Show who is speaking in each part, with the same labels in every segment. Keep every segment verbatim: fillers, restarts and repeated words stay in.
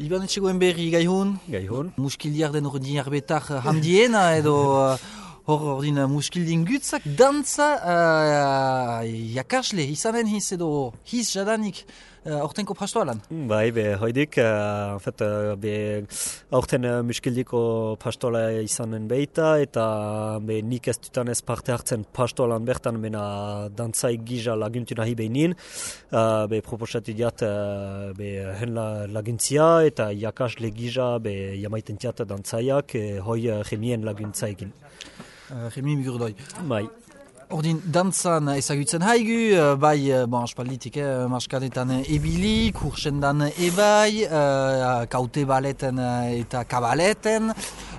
Speaker 1: Iban etxegoen berri gaihun?
Speaker 2: Gaihun.
Speaker 1: Muskildiak den ordin arbetak handiena edo hor ordin muskildin gutzak dantza uh, jakasle izanen hiz edo hiz jadanik aurtenko uh, pastoalan?
Speaker 2: Bai, be hoidik, uh, en fait, uh, be aurten uh, muskildiko pastoala izanen beita eta be nik ez dutan ez parte hartzen pastoalan bertan bena dantzai gija laguntu nahi behinin, uh, be proposatu diat uh, be hen la, laguntzia eta jakasle gija be jamaiten tiat dantzaiak eh, hoi uh, remien laguntzaikin.
Speaker 1: Uh, Remi Migurdoi.
Speaker 2: Bai.
Speaker 1: Ordin dantzan ezagutzen haigu, bai, bon, aspalditik, eh, marskanetan ebili, kursendan ebai, uh, kaute baleten eta kabaleten.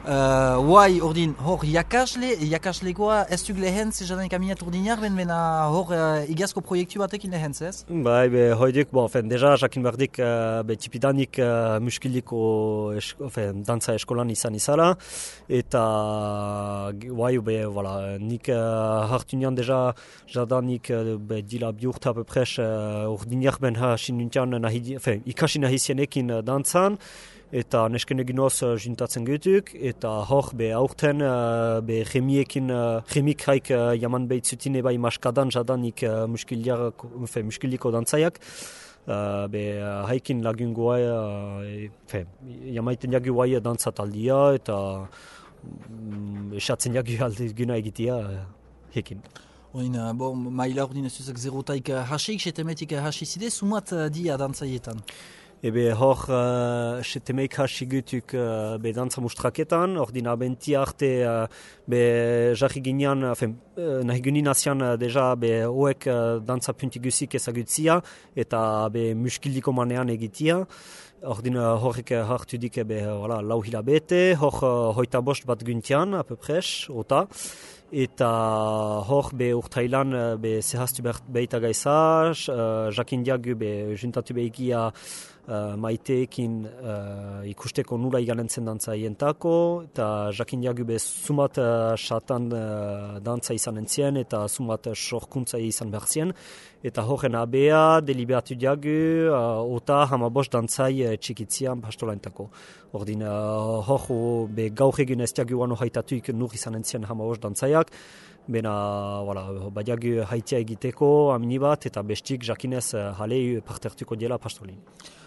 Speaker 1: Uh, Uai, ordin, hor jakasle, jakaslekoa ez duk lehentz, jadanik aminat ordinak, ben bena hor uh, igazko proiektu batekin lehentz, ez?
Speaker 2: Bai, be, hoidik, bon, fen, deja, jakin bardik, uh, be, tipidanik uh, muskiliko es, fen, dantza eskolan izan izala, eta, uai, be, voilà, nik uh, hartu nian deja, jadanik, uh, be, dila biurta pepres, uh, ordinak ben hasin nintian, nahi, fen, ikasi nahi zienekin uh, dantzan, eta nesken eginoz uh, juntatzen getuk, eta hor be aurten uh, be remiekin, uh, remik haik uh, jaman behitzutine bai maskadan jadanik uh, muskiliko dantzaiak, uh, be uh, haikin lagungoa, uh, jamaiten jagu guai dantzataldia, eta um, esatzen jagu aldizguna egitea uh, hekin.
Speaker 1: Oin, uh, bon, maila ordin ez duzak zerotaik uh, hasik, setemetik uh, hasizide, sumat uh, dia dantzaietan?
Speaker 2: Ebe hor uh, setemeik hasigutuk uh, be dantza mustraketan, ordin abenti arte uh, be jarri ginean, uh, nahi gunin asian uh, deja be hoek uh, dantza puntigusik ezagutzia eta be muskildiko manean egitia. Ordin uh, horrek hartu dik be voilà, lau hilabete, hor uh, hoita bost bat guntian, apepres, ota. Eta hor be urtailan be zehaztu behita gaisa, uh, jakin diagu be juntatu behigia uh, maiteekin uh, ikusteko nula iganentzen dantza ientako, eta jakin diagu be sumat uh, satan uh, dantza izan entzien, eta sumat uh, sorkuntza izan behar zien. Eta horren abea, deliberatu diagu, uh, ota hamabos dantzai uh, txikitzian pastolaentako. Ordin, uh, hor be gaur egin ez diagu wano haitatuik nur izan entzien hamabos dantzaiak, bena, voilà, badiagu haitia egiteko amini bat, eta bestik jakinez uh, halei partertuko diela pastolin.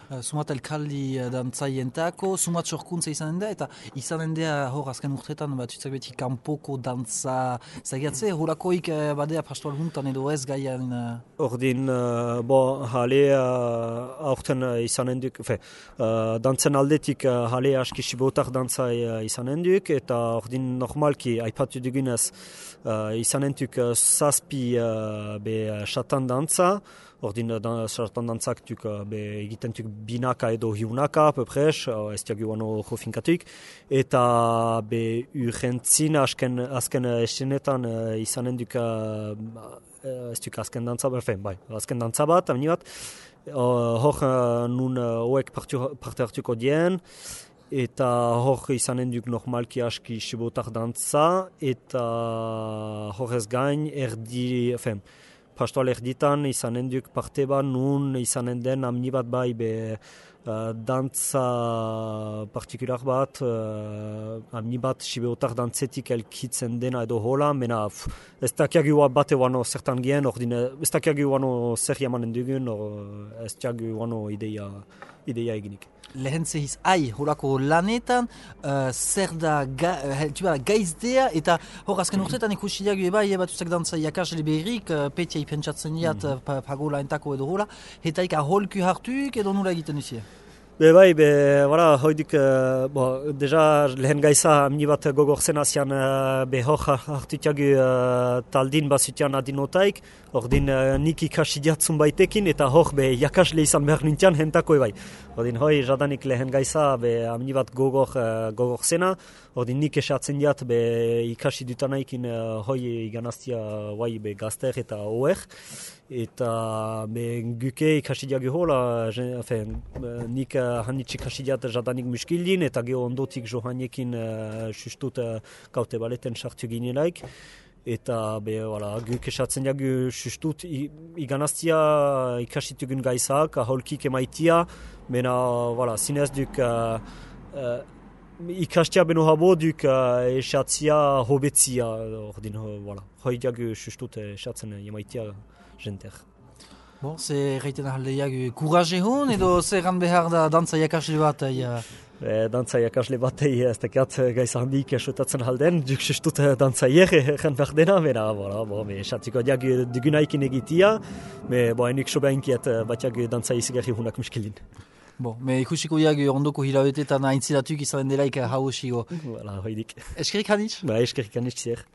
Speaker 1: Uh, sumat elkaldi uh, dantzaientako, sumat sorkuntza izanen da, eta izanen da hor azken urtetan bat utzak beti kanpoko dantza zagiatze, horakoik uh, badea pastoal huntan edo ez gaian... Uh...
Speaker 2: Ordin, uh, bo, hale uh, aurten uh, izanen duk, fe, uh, dantzen aldetik uh, hale aski sibotak dantza uh, izanen duk, eta ordin normalki aipatu dugunez uh, izanen duk uh, zazpi uh, be uh, satan dantza, ordin dan, sartan dantzak tuk uh, be egiten tuk binaka edo hiunaka, pepres, uh, ez diagu wano jofinkatuik, eta be urrentzin asken, azken estenetan uh, izanen duk uh, ez duk azken dantza bat, bai, azken dantza bat, amini bat, uh, hor uh, nun hoek uh, parte hartuko dien, eta hor izanen duk normalki aski sibotak dantza, eta horrez gain erdi, fen, pastoal erditan izanen duk parte bat nun izanen den amni bat bai be uh, dantza partikular bat, uh, amni bat sibeotar dantzetik elkitzen dena edo hola, mena pff, ez dakiagu bate wano zertan gien, ordin ez dakiagu wano zer jamanen dugun, or, ez dakiagu wano ideia, ideia eginik.
Speaker 1: Lehentze hiz ai horako lanetan, uh, zer da ga, uh, gaizdea, eta hor azken urtetan ikusi diagu eba, eba tuzak dantza jakasle berrik, uh, petia ipentsatzen diat mm -hmm. pagola entako edo hola, eta ika holku hartuk edo nula egiten duzia?
Speaker 2: Be bai, be, voilà, hoidik, uh, bo, deja lehen gaiza amni bat gogorzen asian uh, be hor hartutiagu uh, taldin basutian adinotaik, ordin uh, nik ikasi diatzun baitekin, eta hor be jakasle izan behar nintian hentako ebai. Ordin hoi jadanik lehen gaiza be amni bat gogor, uh, gogorzena, ordin nik esatzen diat be ikasi dutanaikin uh, hoi iganaztia guai be gazter eta oer, eta be guke ikasi diagu hola, enfin, nik uh, hanitz ikasi diat jadanik muskildin, eta geho ondotik johanekin uh, sustut uh, kaute baleten sartu ginelaik. eta be, voilà, guk esatzen jagu sustut iganaztia ikasitugun gaizak, aholkik emaitia, mena, voilà, zinez duk uh, uh, ikastia beno habo duk uh, esatzia hobetzia, ordin, voilà, hoi jagu sustut esatzen emaitia jenter.
Speaker 1: Bon, ze reiten ahaldeiak kuraje hon, edo zer gan behar da dantza jakasle bat? Ja.
Speaker 2: E, dantza jakasle batei ez dakat gaiz handik esotatzen halden, duk sustut dantzaier egen behar dena, mena, voilà, bo, me esatziko diak dugunaikin egitia, me, bo, enik sobe hainkiet batiak dantzai izigarri hunak miskilin.
Speaker 1: Bon, me ikusiko diak ondoko hilabetetan aintzilatuk izan delaik hau osigo.
Speaker 2: Voilà, hoidik.
Speaker 1: Eskerik hanitz?
Speaker 2: Ba, eskerik hanitz zer.